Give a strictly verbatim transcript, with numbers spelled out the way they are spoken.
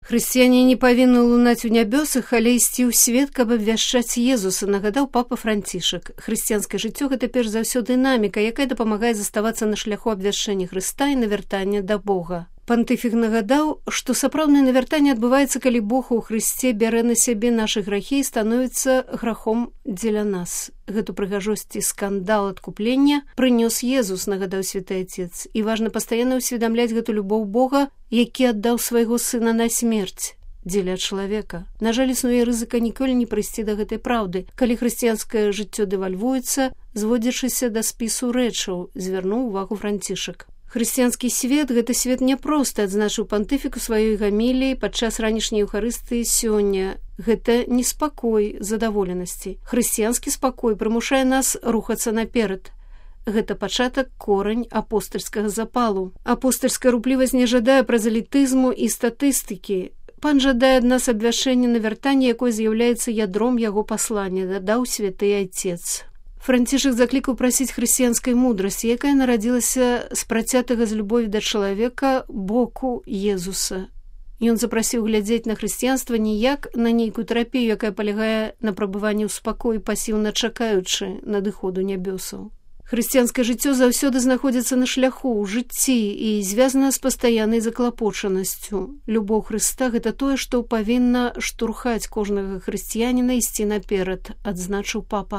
Хрысціяне не павінны лунаць у нябёсах, але ісці ў свет, каб абвяшчаць Езуса, нагадаў папа Францішак. Хрысціянскае жыццё – гэта перш за ўсё дынаміка, якая дапамагае заставацца на шляху абвяшчэння Хрыста і навяртання да Бога. Пантыфік нагадаў, што сапраўднае навяртанне адбываецца, калі Бог у Хрысце бярэ на сябе нашы грахі і становіцца грахом дзеля нас. Гэту прыгажосць і скандал адкуплення прынёс Езус, нагадаў святы Отец. І важна пастаянна ўсведамляць гэту любоў Бога, які аддаў свайго сына на смерць дзеля чалавека. На жаль, існуе рызыка ніколі не прыйсці да гэтай праўды, калі хрысціянскае жыццё дэвальвуецца, зводзячыся да спісу рэчаў, звярнуў увагу Францішак. Хрысціянскі свет – гэта свет няпросты, адзначыў пантыфік у сваёй гаміліі падчас ранішняй Еўхарыстыі сёння. Гэта не спакой задаволенасці. Хрысціянскі спакой прымушае нас рухацца наперад. Гэта пачатак, корань апостальскага запалу. Апостальская руплівасць не жадае празалітызму і статыстыкі. Пан жадае ад нас абвяшчэння навяртання, якое з'яўляецца ядром яго паслання, дадаў святы Отец. Францішак заклікаў прасіць хрысціянскай мудрасці, якая нарадзілася з працятага з любові да чалавека боку Езуса. Ён запрасіў глядзець на хрысціянства не як на нейкую тэрапію, якая палягае на прабыванні ў спакоі, пасіўна чакаючы надыходу нябёсаў. Хрысціянскае жыццё заўсёды знаходзіцца на шляху, ў жыцці і звязана з пастаяннай заклапочанасцю. Любоў Хрыста – гэта тое, што павінна штурхаць кожнага хрысціяніна ісці наперад, адзначыў папа.